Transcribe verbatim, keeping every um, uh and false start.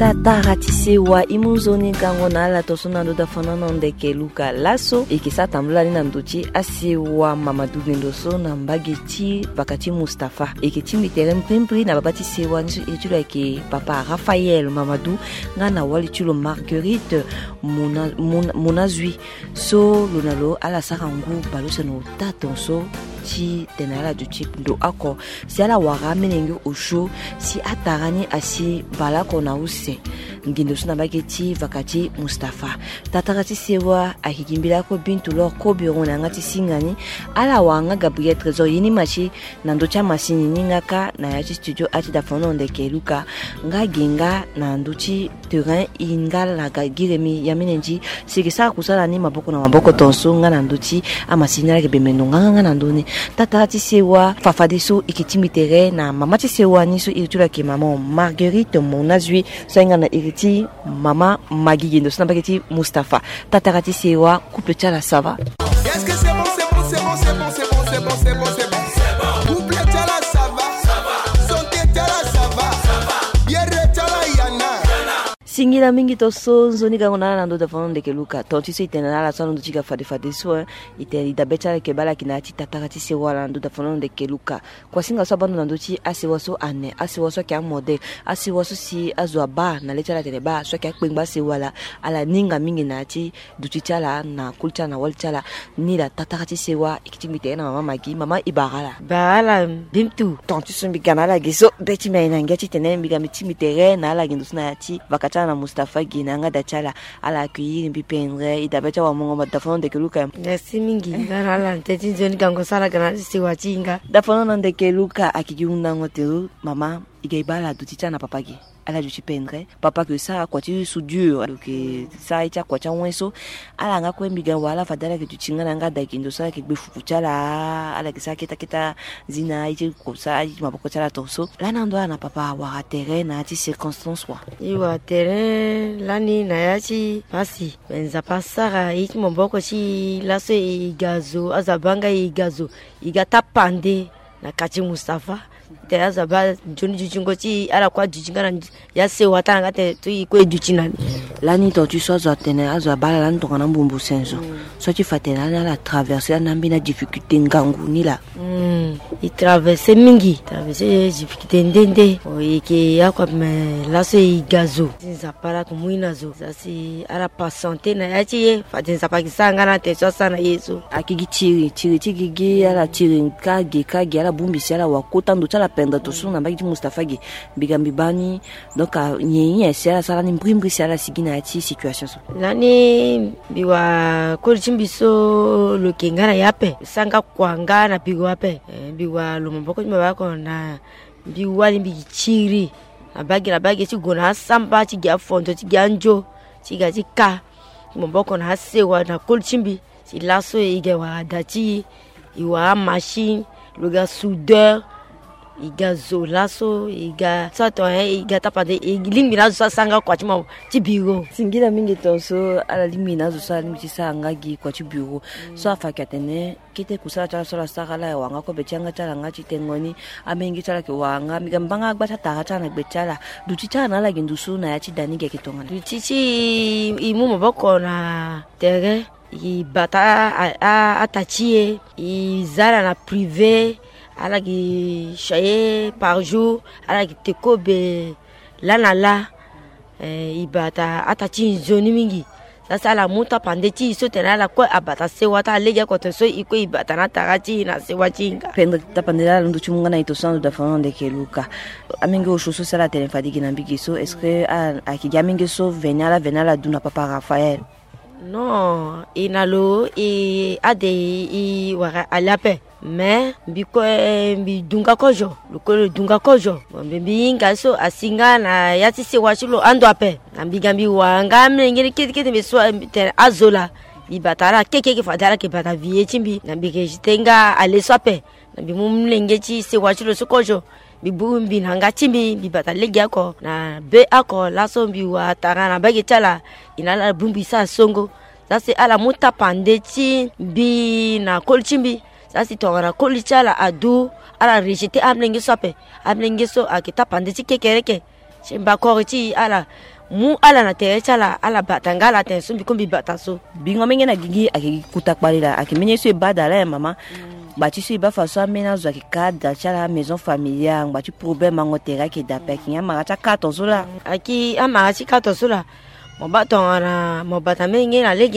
Tatara ti sewa, e mu nzoni gango na ala tongaso na ndo dafanana ndeke Luka laso. E ke sara tambula ni na ndo ti asewa Mamadou Gendo so na mbage ti vaka ti Mustapha. E ke tingbi tere mbrimbri na baba ti sewa ni so iri ti lo ayeke papa Raphaël Mamadou, nga na wali ti lo Marguerite Mona, Mona, Monazui. So lo na lo ala sara ngu baleuse na ota tongaso ti tene ala duti ndo oko si ala wara amolenge osio si atara ni asi baleoko na use. Ngindu so na mbage ti vaka ti Mustapha. Tatara ti sewa ayeke gi mbela oko Bintu Lor Kobiron na yanga ti singa ni. Ala wara nga Gabriel Trésor Yenimasi na ndö ti amasini ni nga kâ na ya ti studio ati dafanana ndeke Luka. Nga gi nga na ndö ti terrain e nga laga gi remi ya mene ndi si e ke sara kusala ni maboko na maboko tongaso nga na ndö ti amasini ni ala yeke bembe ndo nganganga na ndö ni. Tatara ti sewa fafadeso e ke tingbi tere na mama ti sewa ni so iri ti lo ayeke mama Marguerite Monazui so ahinga na iri ti mama Magigi ndo so na mbage ti Mustapha. Tatara ti sewa, couple ti ala ça va? Est-ce que c'est bon, c'est bon, c'est bon, c'est bon, c'est bon, c'est bon, c'est bon, c'est bon. Couple ti ala ça va? Santé ti ala ça va? Biere ti ala yana? Singila mingi tongaso, nzoni gango na ala na ndo dafanana ndeke Luka. Tongaso e tene na ala so na ndo ti ga fade fade so, hein. E tene e dabe ti ala yeke baa ala yeke na ya ti tatara ti sewa na ndo dafanana ndeke Luka. Kuasinga so abaa ndo na ndö ti asewa so ane, asewa so ayeke amodèle, asewa so si azo abaa na le ti ala atene baa so ayeke akpengba asewa laa, ala ninga mingi na ya ti duti ti ala na koli ti ala na wali ti ala. Ni laa tatara ti sewa e ke tingbi tere na mama Maggi, mama e bara ala. Bara ala Bintu. Tongaso mbi ga na ala ge so be ti mbi aye na ngia titene mbi ga mbi tingbi tere na ala ge ndo so na ya ti vaka ti ala na Mustapha ge na yanga da ti ala. Ala accueillir mbi pendre, e dabe ti awamongo ma dafanana ndeke Luka. Merci mingi. Nga na ala na tene ti nzoni gango so ala ga na ala ti sewa ti e nga. Dafanana ndeke Luka ayeke gi hundango te o mama. E ga e baa ala duti ti ala na papa ge. Ala duti pendre. Papa yeke sara kua ti soudure, ayeke sara ye ti akua ti awen so. Ala nga kue mbi ga wala fade ala yeke duti nga na yanga da ge ndo so ala yeke gbe fuku ti ala. Ala yeke sara keta keta zina ye ti kosa ye ti maboko ti ala tongaso. Lani ando ala na papa awara tere na ya ti circonstance wa? E wara tere lani na ya ti pasi. Me Nzapa asara ye ti maboko ti e laso e ga zo, azo abaa nga e ga zo, e ga tapande na kati Mustapha. Tene azo abaa nzoni dutingo ti e, ala kue aduti nga na ya sewa ti ala nga tene so e kue e duti na ni. Lani tongaso ti so azo atene azo abaa ala lani tongana ambumbu senzo. So ti fa tene lani ala traverse lani ambeni adifficulté ngangu ni laa. Hmm, e traverse mingi, traverse difficulté nde nde. O, e yeke oko me laso e ga zo. Si Nzapa ala yeke mu e na zo. Za si ala patienté na ya ti e, fade Nzapa ayeke sara nga na tene so asara na e so. Ayeke gi tiri, tiri ti gigi, ala tiri kâ ge kâ ge, ala bongbi si ala wara kota ndo ti ala pendere tongaso na mbage ti Mustapha ge. Mbi ga mbi baa ni. Donc, ah, nyen nyen si ala sara ni mbrimbri si ala sigi na ya ti situation so? Lani mbi wara koli ti mbi so lo yeke nga na e ape, sara nga kua nga na biro ape. Eh, mbi wara lo maboko ti mbi abaa oko na mbi wali mbi gi tiri na bage na bage ti gue na asamba ti gi afondo ti gi anzo ti ga ti ka maboko na asewa na koli ti mbi. Si laso e ga wara da ti e, e wara amachine, lo ga soudeur, e ga zo laso, e ga so ato, eh, e ga tapande, e lingbi na azo so asara nga kua ti mo ti biro. Singila mingi tongaso, ala lingbi na azo so ala lingbi ti sara nga gi kua ti biro. So afa ayeke atene kete kusala ti ala so ala sara, ala wara nga kobe ti yanga ti ala nga ti tengo ni. Amenge ti ala ayeke wara nga, mbi ga mbi baa nga agba ti atara ti ala na gbe ti ala. Duti ti ala na ala gi ndusu na ya ti da ni gi ayeke tongana? Duti ti e, e mu maboko na tere. E bata a, a, ata ti e, e za ala na privé, ala gi chaye par jour, ala gi te kobe laa na laa. Eh, e bata ata ti e nzoni mingi. Za si ala mu tapande ti e so tene ala kue abata sewa ti ala lege oko tene so e kue e bata na atara ti e na sewa ti e nga. Pendre tapande laa ala ndu ti mu nga na e tongaso ando dafanana ndeke Luka. Amenge osio so si ala tene fade gi na mbi gi so, est-ce que a, ayeke gi amenge so veni ala veni ala du na papa Raphaël? Non, e na lo e ade e wara ali ape. Mais mbi kue mbi du nga kozo, lo kue lo du nga kozo. Bon, mbi, mbi hinga so asi nga na ya ti sewa ti lo ando ape. Na mbi ga mbi wara nga amolenge ni kete kete mbi so tene azo laa. Mbi bata ala kekeke fade ala yeke bata vie ti mbi. Na mbi rejeté nga ale so ape. Na mbi mu molenge ti sewa ti lo so kozo. Mbi bongbi na yanga ti mbi, mbi bata lege oko na be oko laso mbi wara tara na mbage ti ala. E na ala bongbi sara songo. Za si ala mu tapande ti mbi na koli ti mbi. Za si tongana koli ti ala adu, ala rejeté amolenge so ape. Amolenge so ayeke tapande ti kekereke. Ti mbakori ti e ala Mu ala na tere ti ala, ala bata nga ala tene so mbi ko mbi bata so. Bingo menge na gigi ayeke gi kota kpale laa, ayeke mbeni ye so e baa da laa ya mama. Gba ti so e baa fa so ambeni azo ayeke ka da ti ala maison familiale, gba ti problème ango tere ayeke da ape, ayeke nyen amara ti akaton so laa? Ayeke amara ti katon so laa. Mo baa tongana mo bata menge na lege.